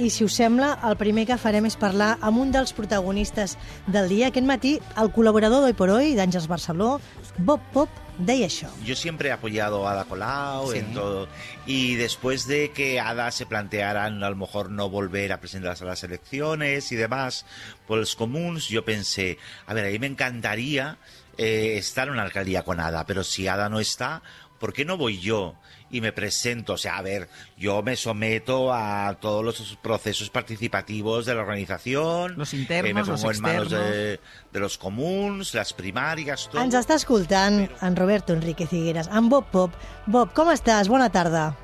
i si us sembla, el primer que farem és parlar amb un dels protagonistes del dia. Aquest matí, el col·laborador d'Hoy por Hoy, d'Àngels Barceló, Bob Pop, deia això. Yo siempre he apoyado a Ada Colau en todo. Y después de que Ada se plantearan a lo mejor no volver a presentarse a las elecciones y demás por los comuns, yo pensé, a ver, a mí me encantaría estar en una alcaldía con Ada, pero si Ada no está, ¿por qué no voy yo y me presento? O sea, a ver, yo me someto a todos los procesos participativos de la organización. Los internos, me pongo los en manos externos. de los comuns, las primàries, tot. Ens està escoltant en Roberto Enrique Figueras, en Bob Pop. Bob, com estàs? Bona tarda.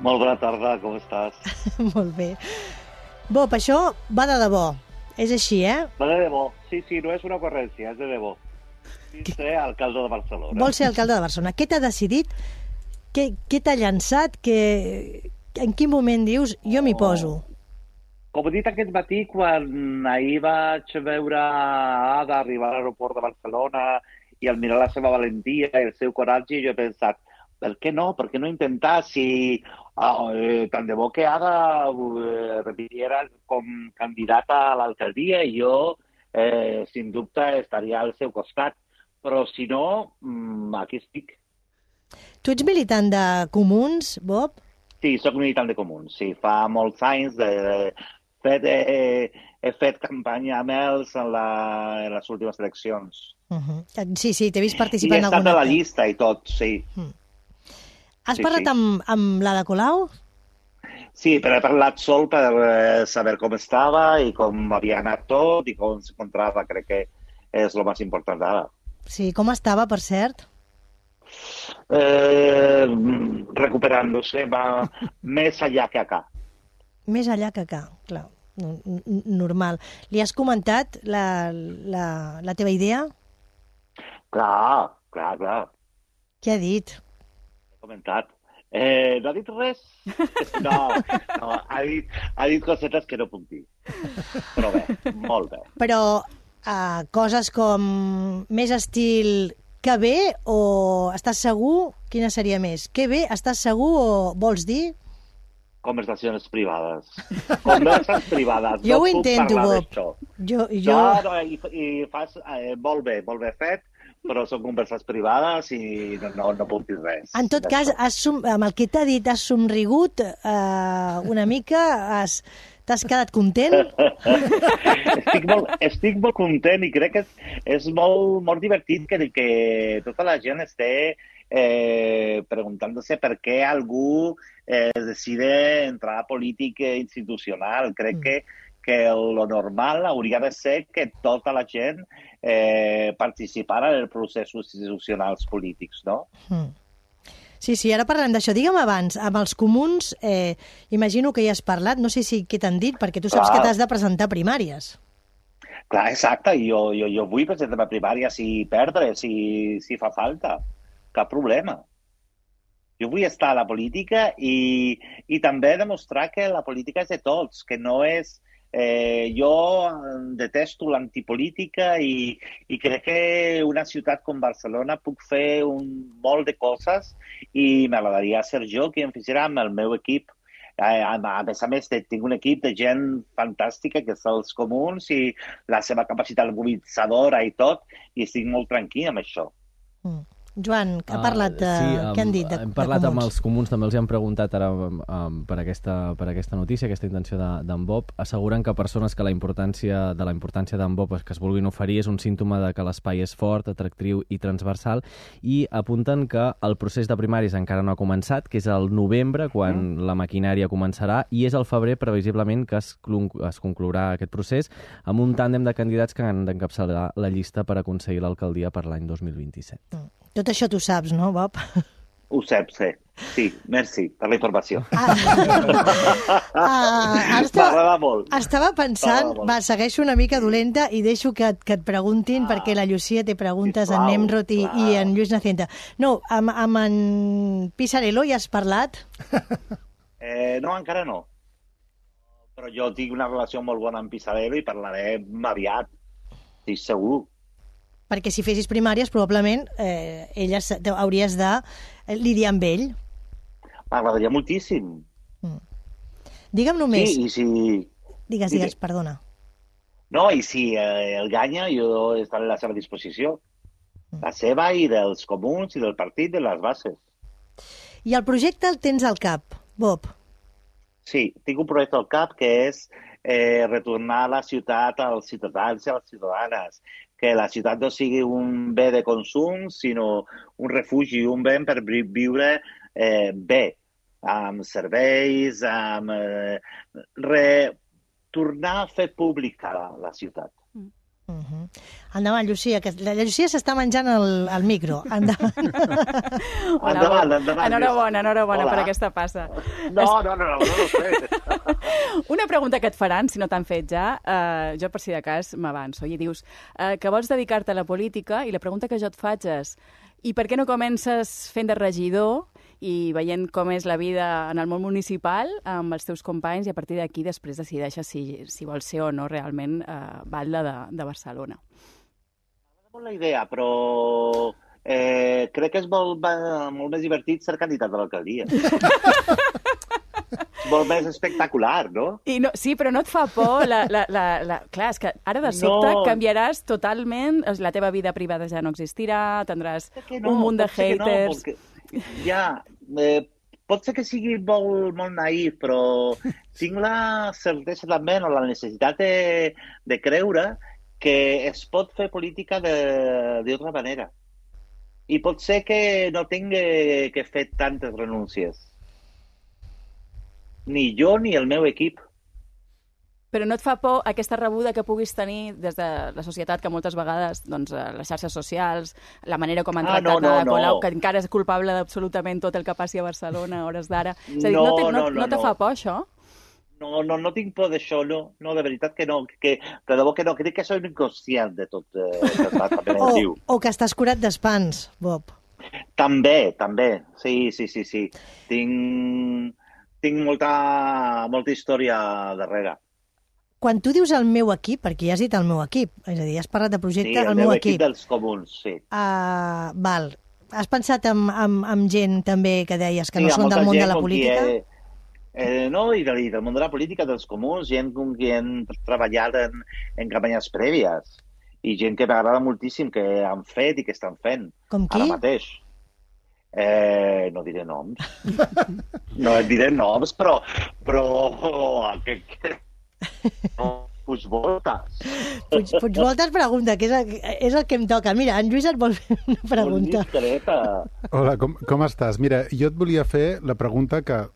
Molt bona tarda, com estàs? Molt bé. Bob, això va de debò. És així, Va de debò. Sí, no és una ocurrència, és de debò. Ser alcalde de Barcelona. Vol ser alcalde de Barcelona. Què t'ha decidit? Què t'ha llançat? En quin moment dius, jo m'hi poso? Com he dit aquest matí, quan ahir vaig veure Ada arribar a l'aeroport de Barcelona i al mirar la seva valentia i el seu coratge, jo he pensat, per què no? Per què no intentar? Si tant de bo que Ada repitiera com candidata a l'alcaldia i jo, sin dubte, estaria al seu costat. Però si no, aquí estic. Tu ets militant de Comuns, Bob? Sí, sóc militant de Comuns. Sí, fa molts anys he fet campanya amb ells en les últimes eleccions. Sí, t'he vist I participar he en estat alguna a la llista i tot, sí. Has parlat amb l'Ada Colau? Sí, però he parlat sol per saber com estava i com havia anat tot i com s'encontrava. Crec que és el més important ara. Sí, com estava, per cert? Recuperándose, va més allà que acá. Més allà que acá, clar. Normal. Li has comentat la teva idea? Clar. Què ha dit? He comentat. No ha dit res? No, ha dit cosetes que no puc dir. Però bé, molt bé. Però coses com més estil que bé o estàs segur? Quina seria més? Que bé, estàs segur o vols dir? Conversacions privades. Converses privades. Jo ho intento, Bob. Jo... No, i fas molt bé fet, però són converses privades i no puc dir res. En tot cas, amb el que t'ha dit, has somrigut una mica, t'has quedat content? Estic molt content i crec que és molt divertit que tota la gent esté preguntant-se per què algú decide entrar a política institucional. Crec que lo normal hauria de ser que tota la gent participara en els processos institucionals polítics, no? Sí, ara parlem d'això. Digue'm abans, amb els comuns, imagino que ja has parlat, no sé si què t'han dit, perquè tu saps que t'has de presentar primàries. Clar, exacte, jo vull presentar primàries i perdre, si fa falta. Cap problema. Jo vull estar a la política i també demostrar que la política és de tots, que no és... Jo detesto l'antipolítica i crec que una ciutat com Barcelona puc fer molt de coses i m'agradaria ser jo qui em fes amb el meu equip. A més, tinc un equip de gent fantàstica que és els comuns i la seva capacitat mobilitzadora i tot, i estic molt tranquil amb això. Joan, ha parlat de... què han dit de hem parlat comuns? amb els comuns, també els han preguntat ara per aquesta notícia, aquesta intenció d'en Bob. Asseguren que persones que la importància d'en Bob que es vulguin oferir és un símptoma de que l'espai és fort, atractiu i transversal, i apunten que el procés de primaris encara no ha començat, que és el novembre, quan la maquinària començarà, i és al febrer, previsiblement, que es conclourà aquest procés amb un tàndem de candidats que han d'encapçalar la llista per aconseguir l'alcaldia per l'any 2027. Tot això tu saps, no, Bob? Ho saps, sí. Sí, merci per la informació. M'agrada molt. Estava pensant, segueixo una mica dolenta i deixo que et preguntin, perquè la Llucia té preguntes en Nemrod i en Lluís Nacienta. No, amb en Pisarello ja has parlat? No, encara no. Però jo tinc una relació molt bona amb Pisarello i parlarem aviat, estic segur. Perquè si fessis primàries, probablement hauries de lidiar amb ell. M'agradaria moltíssim. Digue'm només... Sí, i si... Digues, perdona. No, i si el guanya, jo estaré a la seva disposició. La seva i dels comuns i del partit de les bases. I el projecte el tens al cap, Bob? Sí, tinc un projecte al cap que és retornar la ciutat als ciutadans i a les ciutadanes. Que la ciutat no sigui un bé de consum, sinó un refugi, un bé per viure bé, amb serveis, amb... tornar a fer pública la ciutat. Endavant, Llucia, que la Llucia s'està menjant el micro. Endavant. Enhorabona per aquesta passa. No sé. Una pregunta que et faran, si no t'han fet ja, jo per si de cas m'avanço, i dius que vols dedicar-te a la política, i la pregunta que jo et faig és: i per què no comences fent de regidor i veient com és la vida en el món municipal amb els teus companys, i a partir d'aquí després decideixes si vols ser o no realment batlle de Barcelona? M'agrada molt la idea, però crec que és molt més divertit ser candidat a l'alcaldia. Molt més espectacular, no? Sí, però no et fa por? Clar, és que ara de sobte canviaràs totalment, la teva vida privada ja no existirà, tindràs un munt de haters... pot ser que sigui molt naïf, però tinc la certesa també, o la necessitat de creure que es pot fer política d'altra manera. I pot ser que no tingui que fer tantes renúncies. Ni jo ni el meu equip. Però no et fa por aquesta rebuda que puguis tenir des de la societat, que moltes vegades, doncs, les xarxes socials, la manera com han tractat a Colau, que encara és culpable d'absolutament tot el que passi a Barcelona a hores d'ara. És a dir, no te fa por, això? No tinc por d'això, no, de veritat que no. De debò que no, crec que soc inconscient de tot. O que estàs curat d'espans, Bob. També. Sí. Tinc molta història darrere. Quan tu dius el meu equip, perquè ja has dit el meu equip, és a dir, has parlat de projecte, el meu equip dels comuns, sí. Val. Has pensat en gent també que deies que no són del món de la política? No, i del món de la política, dels comuns, gent com qui han treballat en campanyes prèvies, i gent que m'agrada moltíssim, que han fet i que estan fent. Com qui? Ara mateix. No diré noms. No et diré noms, però Puigvoltes. Puigvoltes pregunta, que és el que em toca. Mira, en Lluís et vol fer una pregunta. Hola, com estàs? Mira, jo et volia fer la pregunta que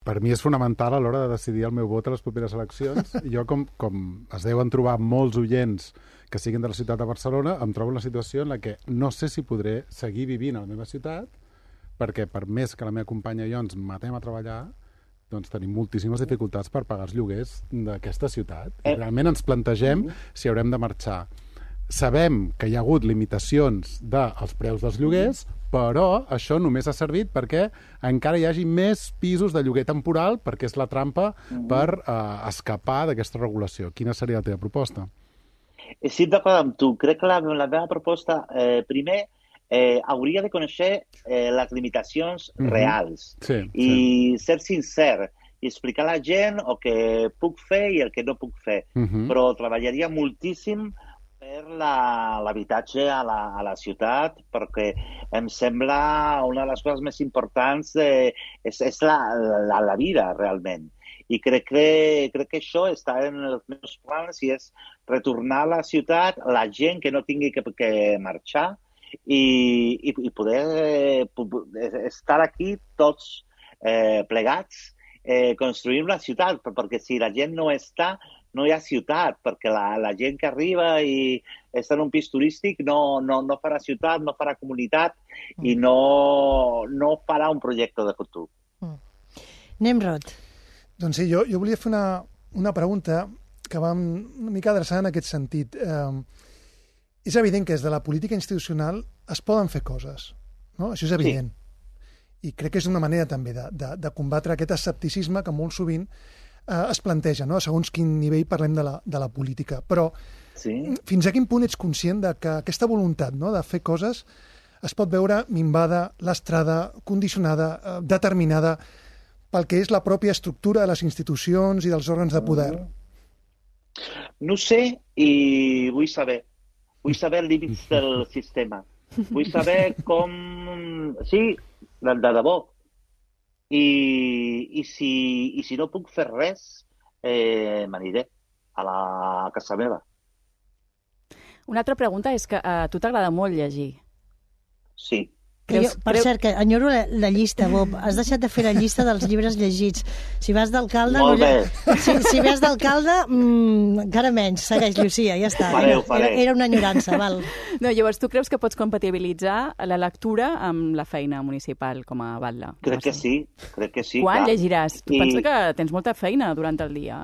per mi és fonamental a l'hora de decidir el meu vot a les properes eleccions. Jo, com es deuen trobar molts oients que siguin de la ciutat de Barcelona, em trobo en la situació en la que no sé si podré seguir vivint a la meva ciutat, perquè per més que la meva companya i jo ens matem a treballar, doncs tenim moltíssimes dificultats per pagar els lloguers d'aquesta ciutat. I realment ens plantegem si haurem de marxar. Sabem que hi ha hagut limitacions dels preus dels lloguers, però això només ha servit perquè encara hi hagi més pisos de lloguer temporal, perquè és la trampa per escapar d'aquesta regulació. Quina seria la teva proposta? Estic d'acord amb tu. Crec que la meva proposta, primer, hauria de conèixer les limitacions reals i ser sincer i explicar a la gent el que puc fer i el que no puc fer. Però treballaria moltíssim per l'habitatge a la ciutat, perquè em sembla una de les coses més importants és la vida, realment. I crec que això està en els meus plans i és retornar a la ciutat la gent que no tingui que marxar i poder estar aquí tots plegats construint una ciutat, perquè si la gent no està, no hi ha ciutat, perquè la gent que arriba i està en un pis turístic no farà ciutat, no farà comunitat i no farà un projecte de futur. Nemrod. Doncs sí, jo volia fer una pregunta que va una mica adreçada en aquest sentit. És evident que des de la política institucional es poden fer coses, no? Això és evident. Sí. I crec que és una manera també de combatre aquest escepticisme que molt sovint es planteja, no? Segons quin nivell parlem de la política. Però fins a quin punt ets conscient de que aquesta voluntat, no?, de fer coses es pot veure minvada, lastrada, condicionada, determinada pel que és la pròpia estructura de les institucions i dels òrgans de poder? No sé i vull saber. Vull saber els límits del sistema. Vull saber com... Sí, de debò. I si no puc fer res, m'aniré a la casa meva. Una altra pregunta és que a tu t'agrada molt llegir. Sí. Per cert, que enyoro la llista, Bob. Has deixat de fer la llista dels llibres llegits. Si vas d'alcalde... Molt bé. Si vas d'alcalde, encara menys. Segueix, Llucia, ja està. Era una enyorança, val. No, llavors, tu creus que pots compatibilitzar la lectura amb la feina municipal com a batlle? Crec que sí. Quan llegiràs? Tu pensa que tens molta feina durant el dia?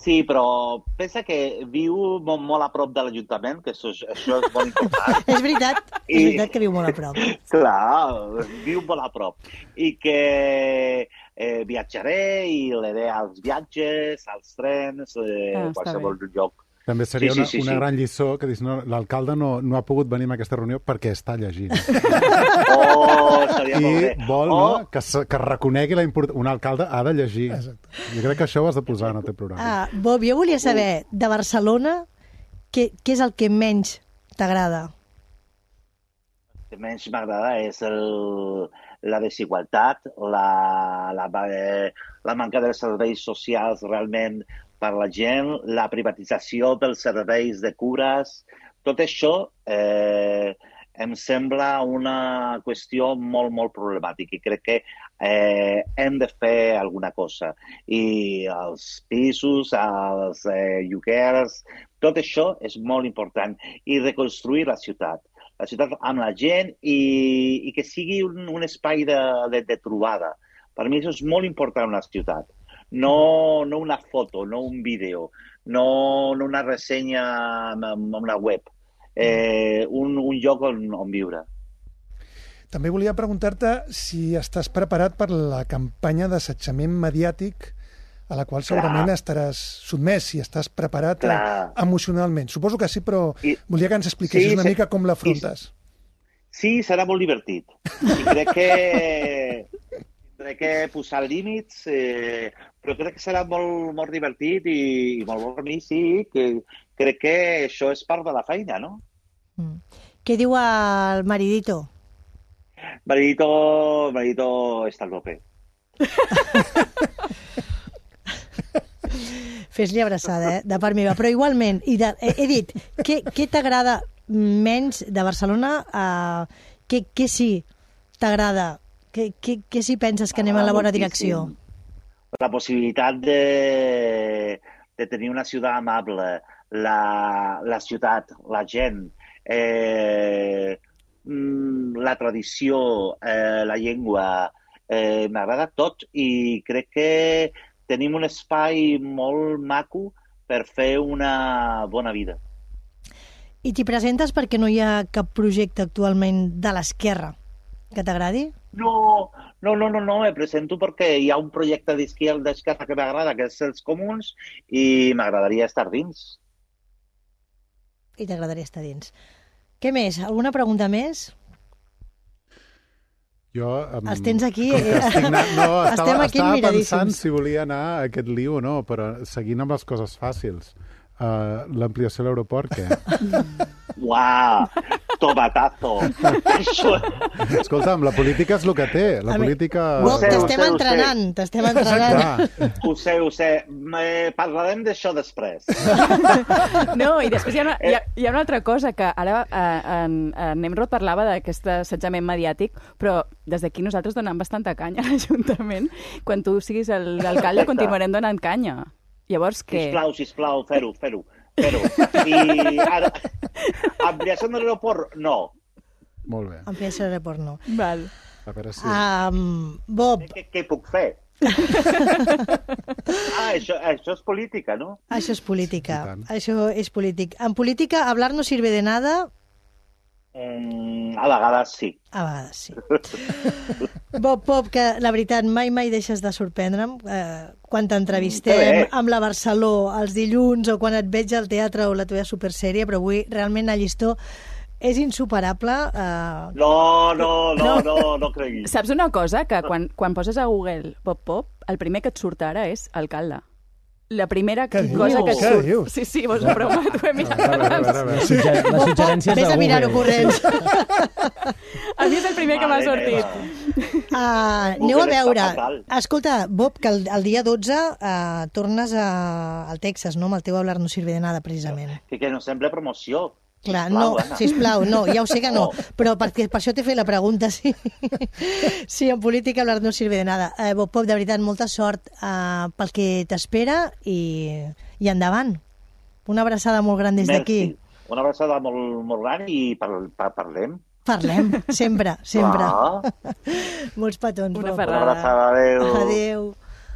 Sí, però pensa que viu molt a prop de l'Ajuntament, que això és molt important. És veritat que viu molt a prop. Clar, viu molt a prop. I que viatjaré i l'he als viatges, als trens, qualsevol lloc. També seria una gran lliçó que dius, no, l'alcalde no ha pogut venir a aquesta reunió perquè està llegint. Seria molt bé. I vol que reconegui la importància. Un alcalde ha de llegir. Exacte. Jo crec que això ho has de posar en el teu programa. Bob, jo volia saber, de Barcelona, què és el que menys t'agrada? El que menys m'agrada és la desigualtat, la manca de serveis socials realment per la gent, la privatització dels serveis de cures. Tot això em sembla una qüestió molt, molt problemàtica i crec que hem de fer alguna cosa. I els pisos, els lloguers, tot això és molt important. I reconstruir la ciutat amb la gent i que sigui un espai de trobada. Per mi això és molt important en la ciutat. No una foto, no un vídeo, no una ressenya en una web, un lloc on viure. També volia preguntar-te si estàs preparat per la campanya d'assetjament mediàtic a la qual segurament estaràs sotmès, si estàs preparat emocionalment. Suposo que sí, però volia que ens expliquessis una mica com l'afrontes. Sí, serà molt divertit. I crec que posar límits, però crec que serà molt, molt divertit i molt bo per mi, sí, que crec que això és part de la feina, no? Què diu el maridito? Maridito està al tope. Fes-li abraçada, de part meva. Però igualment, he dit, què t'agrada menys de Barcelona? Què sí t'agrada? Què sí penses que anem en la bona direcció? La possibilitat de tenir una ciutat amable, la ciutat, la gent, la tradició, la llengua, m'agrada tot i crec que tenim un espai molt maco per fer una bona vida. I t'hi presentes perquè no hi ha cap projecte actualment de l'esquerra que t'agradi? No, me presento perquè hi ha un projecte d'esquerra que m'agrada, que és els comuns, i m'agradaria estar dins. I t'agradaria estar dins. Què més? Alguna pregunta més? Jo... Els tens aquí... Estava pensant si volia anar a aquest liu o no, però seguint amb les coses fàcils. L'ampliació de l'aeroport, què? Uau! Tomatazo! Escolta'm, la política és el que té. La política... T'estem entrenant. Ho sé. Parlarem d'això després. No, i després hi ha una altra cosa, que ara en Nemrod parlava d'aquest assetjament mediàtic, però des d'aquí nosaltres donem bastanta canya a l'Ajuntament. Quan tu siguis l'alcalde continuarem donant canya. Llavors, què? Sisplau, fer-ho. I ara, ampliació de l'aeroport, no. Molt bé. Ampliació de l'aeroport, no. Val. A veure si... Bob. Què puc fer? Això és política, no? Això és política. Això és polític. En política, hablar no sirve de nada... A vegades sí. A vegades sí. Bob, que la veritat mai deixes de sorprendre'm quan t'entrevistem amb la Barceló els dilluns o quan et veig al teatre o la teva supersèrie, però avui realment el llistó és insuperable. No creguis. Saps una cosa? Que quan poses a Google Bob Pop, el primer que et surt ara és alcalde. La primera Què cosa dius? que et Què surt... dius? Sí, vols una broma? T'ho he mirat A abans. veure. Les suggerències Vés de a mirar-ho Google. corrents. A mi és el primer que m'ha Mare sortit. meva. Aneu a Google veure. està fatal. Escolta, Bob, que el dia 12 tornes al Texas, no? Amb el teu Hablar no sirve de nada, precisament. Que no sembla promoció. Clar, Sisplau, no, Anna. sisplau, no, ja ho sé que no, però per això t'he fet la pregunta, sí. Sí, en política hablar no sirve de nada. Bob, de veritat, molta sort pel que t'espera i endavant. Una abraçada molt gran des d'aquí. Merci. Una abraçada molt gran i parlem. Parlem, sempre, sempre. Clar. Molts petons, Una Bob. ferrada. Una abraçada, adéu. Adéu.